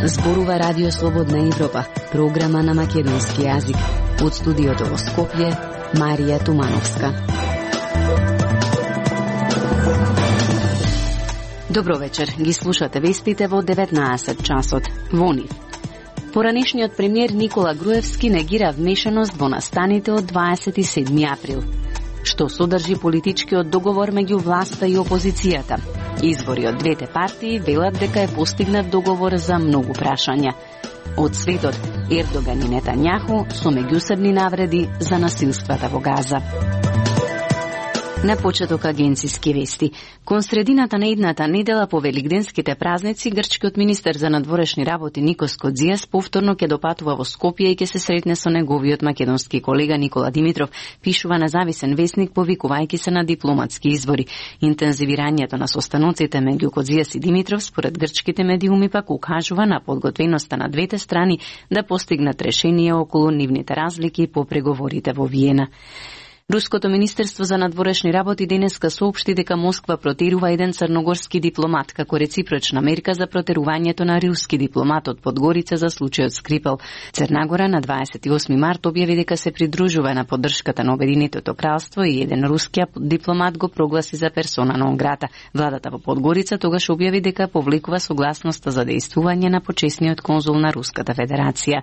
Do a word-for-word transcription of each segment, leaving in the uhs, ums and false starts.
Зборува Радио Слободна Европа, програма на македонски јазик. Од студиото во Скопје, Марија Тумановска. Добро вечер, ги слушате вестите во деветнаесет часот. Во нив. Поранешниот премиер Никола Груевски негира вмешаност во настаните од дваесет и седми април. Што содржи политичкиот договор меѓу власта и опозицијата? Извори од двете партии велат дека е постигнат договор за многу прашања. Од светот, Ердоган и Нетањаху со меѓусебни навреди за насилствата во Газа. На почеток агенциски вести. Кон средината на идната недела по великденските празници, грчкиот министер за надворешни работи Никос Кодзијас повторно ќе допатува во Скопје и ќе се сретне со неговиот македонски колега Никола Димитров, пишува независен весник повикувајќи се на дипломатски извори. Интензивирањето на состаноците меѓу Кодзијас и Димитров според грчките медиуми пак укажува на подготвеноста на двете страни да постигнат решение околу нивните разлики по преговорите во Виена. Руското министерство за надворешни работи денеска соопшти дека Москва протерува еден црногорски дипломат како реципрочна мерка за протерувањето на руски дипломат од Подгорица за случајот Скрипел. Црна на дваесет и осми март објави дека се придружува на поддршката на Обединетото кралство и еден руски дипломат го прогласи за персона нон грата. Владата во Подгорица тогаш објави дека повлекува согласноста за дејствување на почесниот конзул на Руската Федерација.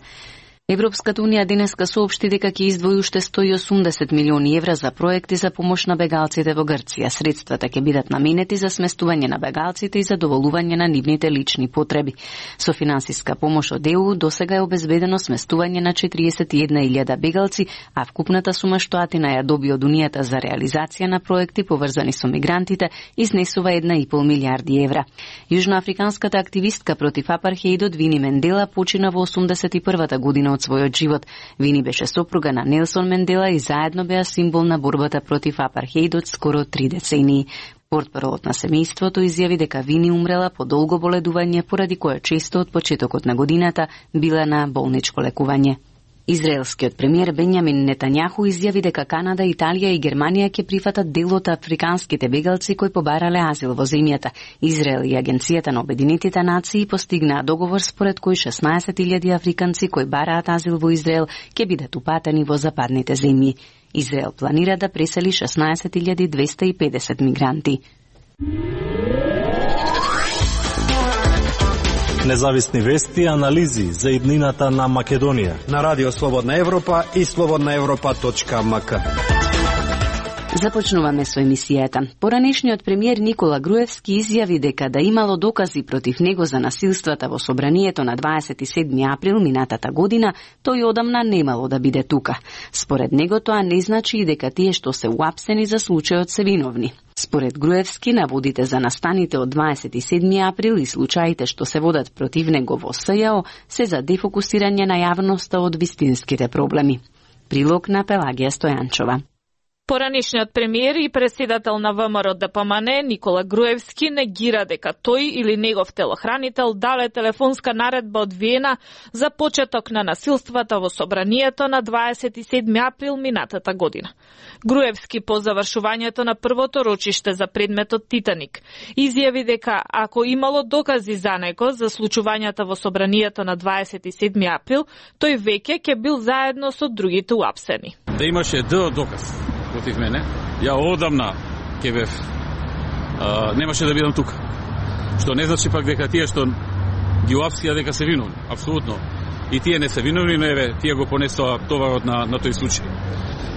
Европската унија денеска соопшти дека ќе издвои уште сто и осумдесет милиони евра за проекти за помош на бегалците во Грција. Средствата ќе бидат наменети за сместување на бегалците и задоволување на нивните лични потреби. Со финансиска помош од Е У досега е обезбедено сместување на четириесет и една илјада бегалци, а вкупната сума што Атина ја доби од Унијата за реализација на проекти поврзани со мигрантите изнесува една и пол милијарди евра. Јужноафриканската активистка против апартхеидот Вини Мендела почина во осумдесет и првата година од својот живот. Вини беше сопруга на Нелсон Мендела и заедно беа символ на борбата против апартхеидот скоро три децении. Портпаролот на семејството изјави дека Вини умрела по долго боледување, поради кое често од почетокот на годината била на болничко лекување. Израелскиот премиер Бенјамин Нетањаху изјави дека Канада, Италија и Германија ќе прифатат дел од африканските бегалци кои побарале азил во земјата. Израел и Агенцијата на Обединетите нации постигнаа договор според кој шеснаесет илјади африканци кои бараат азил во Израел ќе бидат упатени во западните земји. Израел планира да пресели шеснаесет илјади двесте и педесет мигранти. Независни вести и анализи за иднината на Македонија на Радио Слободна Европа и слободна европа точка ем ка. Започнуваме со емисијата. Поранешниот премиер Никола Груевски изјави дека да имало докази против него за насилствата во собранието на дваесет и седми април минатата година, тој одамна немало да биде тука. Според него тоа не значи и дека тие што се уапсени за случајот се виновни. Според Груевски, наводите за настаните од дваесет и седми април и случаите што се водат против него во С Ј О се за дефокусирање на јавноста од вистинските проблеми. Прилог на Пелагија Стојанчова. Поранешниот премиер и председател на Вэ М Р Д П М Н Никола Груевски негира дека тој или негов телохранител дале телефонска наредба од Виена за почеток на насилствата во собранието на дваесет и седми април минатата година. Груевски по завршувањето на првото рочиште за предметот Титаник изјави дека ако имало докази за него за случувањата во собранието на дваесет и седми април, тој веќе ќе бил заедно со другите уапсени. Да имаше д доказ против мене, ја одамна ќе бев а, немаше да бидам тука. Што не значи пак дека тие што ги уапсија дека се виновни, апсолутно. И тие не се виновни, но еве тие го понесоа товарот на на тој случај.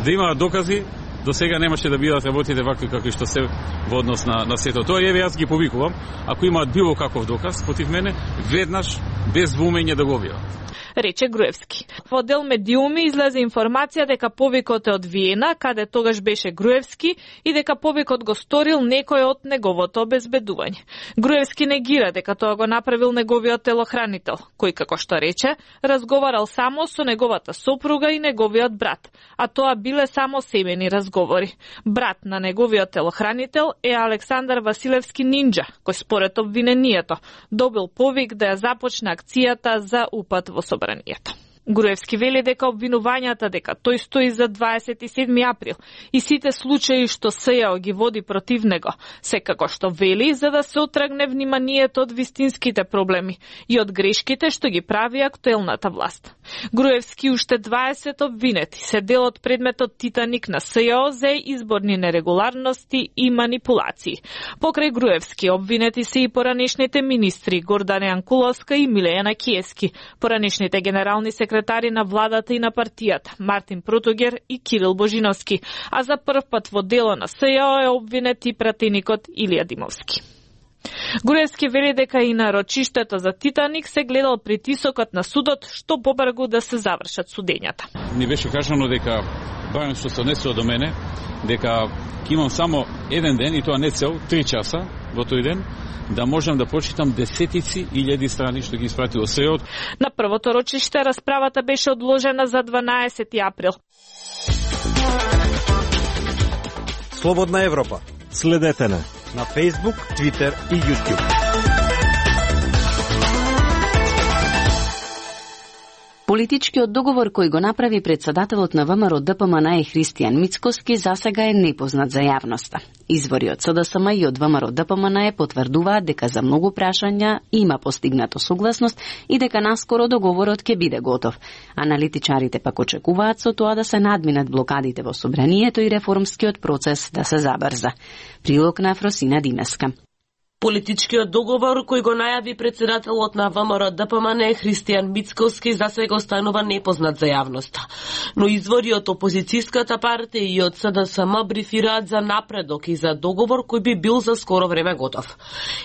Да има докази, до сега немаше да бидат работите вакви какви што се во однос на на сето тоа. Еве јас ги повикувам, ако имаат било каков доказ против мене, веднаш без двумење да го објават. Рече Груевски. Во дел медиуми излезе информација дека повикот е од Виена, каде тогаш беше Груевски, и дека повикот го сторил некој од неговото обезбедување. Груевски негира дека тоа го направил неговиот телохранител, кој, како што рече, разговарал само со неговата сопруга и неговиот брат, а тоа биле само семени разговори. Брат на неговиот телохранител е Александар Василевски Нинџа, кој според обвинението добил повик да ја започне акцијата за упад во собранието. Груевски вели дека обвинувањата дека тој стои за дваесет и седми април и сите случаи што СЈО ги води против него, секако што вели за да се отргне вниманието од вистинските проблеми и од грешките што ги прави актуелната власт. Груевски уште дваесет обвинети се дел од предметот Титаник на СЈО за изборни нерегуларности и манипулации. Покрај Груевски обвинети се и поранешните министри Гордана Јанкуловска и Милејана Киески, поранешните генерални секретари на владата и на партијата Мартин Протогер и Кирил Божиновски, а за прв пат во дело на СЈО е обвинет и пратеникот Илија Димовски. Груевски вели дека и на рочиштето за Титаник се гледал притисокот на судот што побрзо да се завршат судењата. Ни беше кажано дека барем што се однесува до мене, дека имам само еден ден и тоа не цел, три часа во тој ден, да можам да прочитам десетици илјади страни што ги испратил СЈО. На првото рочиште расправата беше одложена за дванаесети април. Слободна Европа. Следете на на Facebook, Twitter и YouTube. Политичкиот договор кој го направи председателот на ВМРО Д П М Н Христијан Мицкоски засега е непознат за јавноста. Извори од С Д С М и од ВМРО Д П М Н потврдуваат дека за многу прашања има постигнато согласност и дека наскоро договорот ќе биде готов. Аналитичарите пак очекуваат со тоа да се надминат блокадите во собранието и реформскиот процес да се забрза. Прилог на Афросина Димеска. Политичкиот договор кој го најави председателот на ВМРО Д П М Н Христијан Мицкоски засега останува непознат за јавноста. Но извори од опозицијската партија и од С Д С М брифираат за напредок и за договор кој би бил за скоро време готов.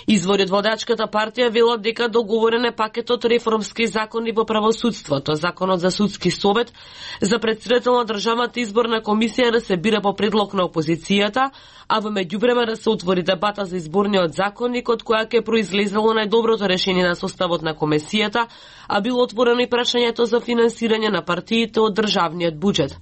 Извори од водачката партија велат дека договорен е пакетот реформски закони во правосудството, законот за судски совет, за председател на државната изборна комисија да се бира по предлог на опозицијата, а во меѓувреме да се отвори дебата за изборниот законник од која ќе произлезело најдоброто решение на составот на комисијата, а било отворено и прашањето за финансирање на партиите од државниот буџет.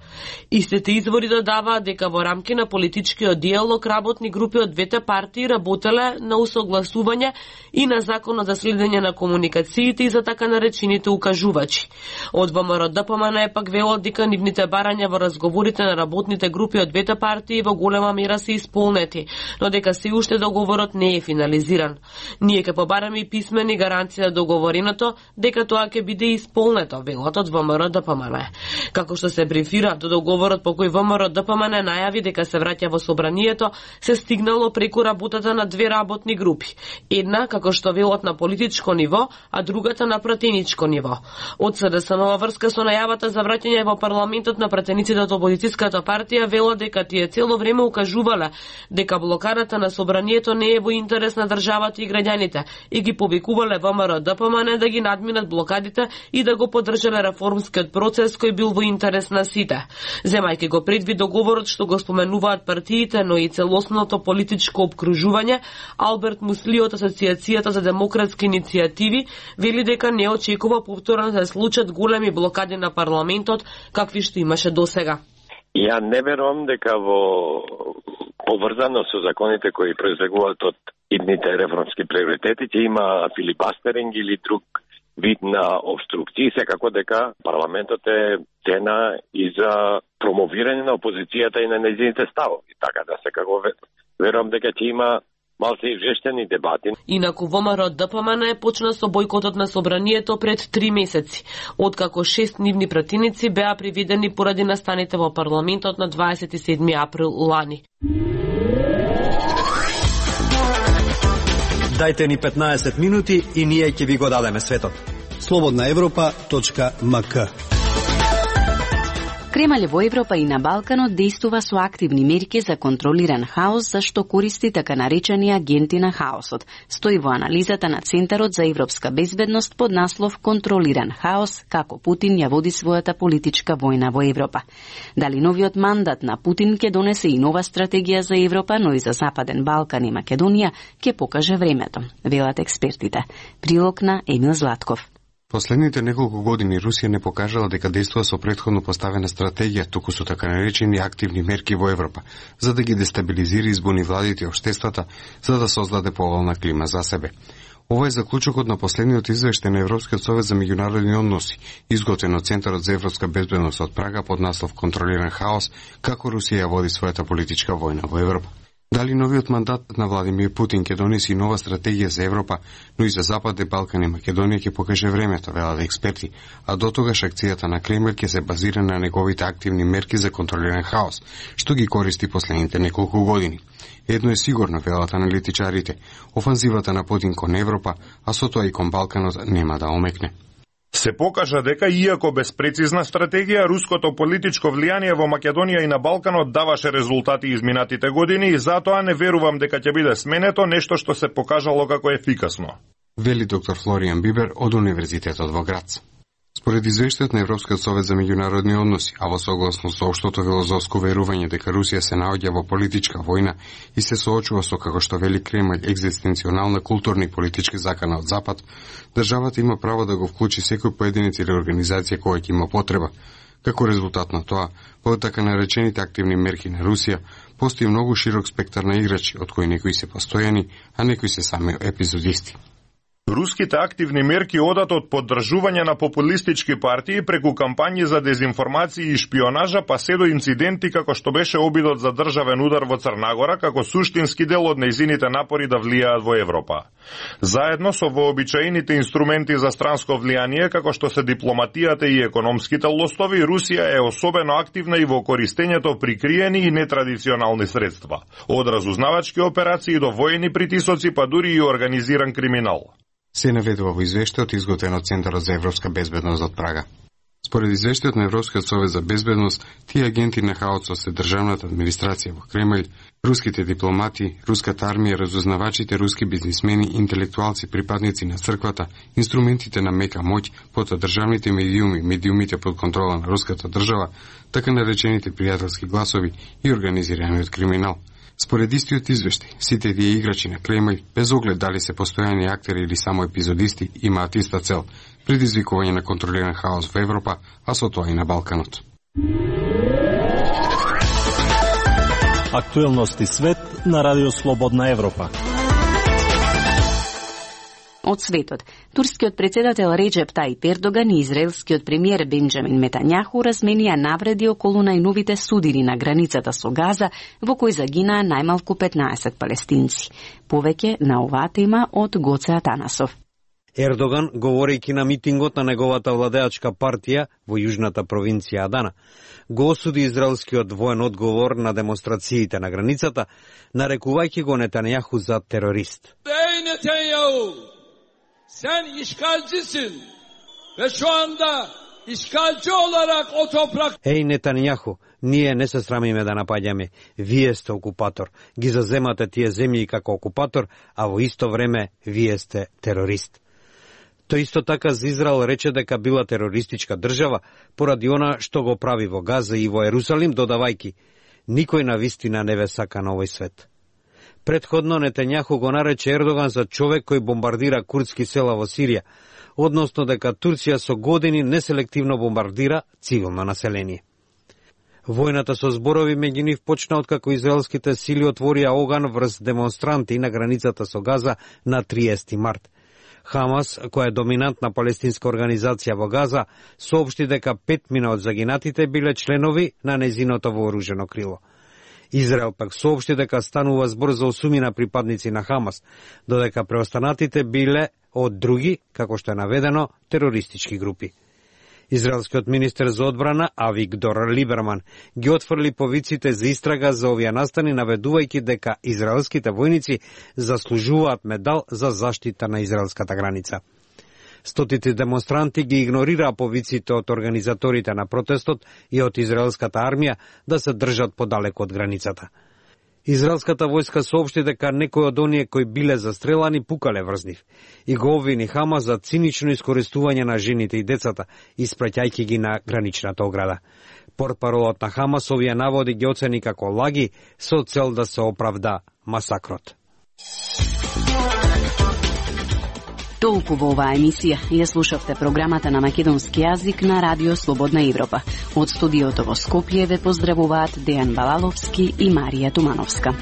Истите извори додаваат дека во рамки на политичкиот диалог работни групи од двете партии работеле на усогласување и на законот за следење на комуникациите и за така наречените укажувачи. Од ВМРО Д П М Н пак велат дека нивните барања во разговорите на работните групи од двете партии во голема мера се исполнети, но дека се уште договорот не е финализиран. Ние ќе побараме и писмени гаранции за договореното дека тоа ќе биде исполнето, велат од ВМРО Д П М Н. Како што се брифира, до договорот по кој ВМРО Д П М Н најави дека се враќа во собранието, се стигнало преку работата на две работни групи. Една, како што велат, на политичко ниво, а другата на пратеничко ниво. Од С Д С М во врска со најавата за враќање во парламентот на пратениците од опозицијската партија велат дека тие цело време укажувале дека блокадата на собранието не е во интерес на државата и граѓаните и ги повикувале ВМРО Д П М Н да ги надминат блокадите и да го поддржале реформскиот процес кој бил во интерес на сите. Земајќи го предвид договорот што го споменуваат партиите, но и целосното политичко обкружување, Алберт Мусли од Асоциацијата за демократски иницијативи вели дека не очекува повторно да се случат големи блокади на парламентот какви што имаше досега. Ја не верувам дека во поврзано со законите кои произлегуваат од идните реформски приоритети ќе има филибастеринг или друг вид на обструкции, секако дека парламентот е тена и за промовирање на опозицијата и на нејзините ставови. Така да секако верувам дека ќе има малце извештени дебати. Инаку ВМРО Д П М Н почна со бојкотот на собранието пред три месеци, откако шест нивни пратеници беа приведени поради настаните во парламентот на дваесет и седми април лани. Дајте ни петнаесет минути и ние ќе ви го дадеме светот. слободна европа точка м к. Кремљ во Европа и на Балканот действува со активни мерки за контролиран хаос, за што користи така наречени агенти на хаосот. Стои во анализата на Центарот за европска безбедност под наслов Контролиран хаос, како Путин ја води својата политичка војна во Европа. Дали новиот мандат на Путин ќе донесе и нова стратегија за Европа, но и за Западен Балкан и Македонија, ќе покаже времето, велат експертите. Прилог на Емил Златков. Последните неколку години Русија не покажала дека действува со претходно поставена стратегија, туку со така наречени активни мерки во Европа, за да ги дестабилизира избуни владите и општествата, за да создаде поволна клима за себе. Ова е заклучокот на последниот извештај на Европскиот совет за меѓународни односи, изготвен од Центарот за европска безбедност од Прага под наслов "Контролиран хаос, како Русија води својата политичка војна во Европа". Дали новиот мандат на Владимир Путин ќе донеси нова стратегија за Европа, но и за Западен Балкан и Македонија ќе покаже времето, велат експерти, а дотогаш акцијата на Кремљ ќе се базира на неговите активни мерки за контролиран хаос, што ги користи последните неколку години. Едно е сигурно, велат аналитичарите, офанзивата на Путин кон Европа, а со тоа и кон Балканот нема да омекне. Се покажа дека, иако без прецизна стратегија, руското политичко влијание во Македонија и на Балканот даваше резултати изминатите години и затоа не верувам дека ќе биде сменето нешто што се покажало како ефикасно. Вели доктор Флоријан Бибер од Универзитетот во Грац. Според извештајот на Европскиот совет за меѓународни односи, а во согласно со општото филозофско верување дека Русија се наоѓа во политичка војна и се соочува со, како што вели Кремљ, екзистенционална културна и политички закана од Запад, државата има право да го вклучи секој поединец или организација која ќе има потреба. Како резултат на тоа, во така наречените активни мерки на Русија, постои многу широк спектар на играчи, од кои некои се постојани, а некои се сами епизодисти. Руските активни мерки одат од поддржување на популистички партии преку кампањи за дезинформација и шпионажа, па се до инциденти како што беше обидот за државен удар во Црнагора, како суштински дел од нејзините напори да влијаат во Европа. Заедно со вообичаените инструменти за странско влијание, како што се дипломатијата и економските лостови, Русија е особено активна и во користењето прикриени и нетрадиционални средства, од разузнавачки операции до воени притисоци, па дури и организиран криминал. Се наведува во извештајот изготвен од Центарот за европска безбедност од Прага. Според извештајот на Европскиот совет за безбедност, тие агенти на хаосот се државната администрација во Кремљ, руските дипломати, руската армија, разузнавачите, руски бизнисмени, интелектуалци, припадници на црквата, инструментите на мека моќ, потоа државните медиуми, медиумите под контрола на руската држава, така наречените пријателски гласови и организираниот криминал. Според истиот извештај, сите тие играчи на Кремљ, без оглед дали се постојани актери или само епизодисти, имаат иста цел – предизвикување на контролиран хаос во Европа, а со тоа и на Балканот. Актуелности свет на Радио Слободна Европа. Од светот, турскиот председател Реджеп Тајип Ердоган и израелскиот премиер Бенџамин Нетањаху разменија навреди околу најновите судири на границата со Газа, во кои загинаа најмалку петнаесет палестинци. Повеќе на оваа тема од Гоце Атанасов. Ердоган, говорејќи на митингот на неговата владеачка партија во јужната провинција Адана, го осуди израелскиот воен одговор на демонстрациите на границата, нарекувајќи го Нетањаху за терорист. Sen işgalcisin ve şu anda işgalci olarak o toprak... Еј, Нетањаху, ние не се срамиме да напаѓаме. Вие сте окупатор. Ги заземате тие земји како окупатор, а во исто време вие сте терорист. Тој исто така за Израел рече дека била терористичка држава поради она што го прави во Газа и во Ерусалим, додавајки: никој на вистина не ве сака на овој свет. Предходно Нетањаху го нарече Ердоган за човек кој бомбардира курдски села во Сирија, односно дека Турција со години неселективно бомбардира цивилно население. Војната со зборови меѓу нив почна откако израелските сили отворија оган врз демонстранти на границата со Газа на триесети март. Хамас, која е доминантна палестинска организација во Газа, соопшти дека петмина од загинатите биле членови на незиното вооружено крило. Израел пак соопшти дека станува збор за осумина припадници на Хамас, додека преостанатите биле од други, како што е наведено, терористички групи. Израелскиот министер за одбрана Авигдор Либерман ги отфрли повиците за истрага за овие настани, наведувајќи дека израелските војници заслужуваат медал за заштита на израелската граница. Стотици демонстранти ги игнорираа повиците од организаторите на протестот и од израелската армија да се држат подалеку од границата. Израелската војска соопшти дека некои од оние кои биле застрелани пукале врз нив и го обвини Хамас за цинично искористување на жените и децата, испраќајќи ги на граничната ограда. Портпаролот на Хамас овие наводи ги оцени како лаги со цел да се оправда масакрот. Толку во оваа емисија. Ја слушавте програмата на македонски јазик на Радио Слободна Европа. Од студиото во Скопје ве поздравуваат Дејан Балаловски и Марија Тумановска.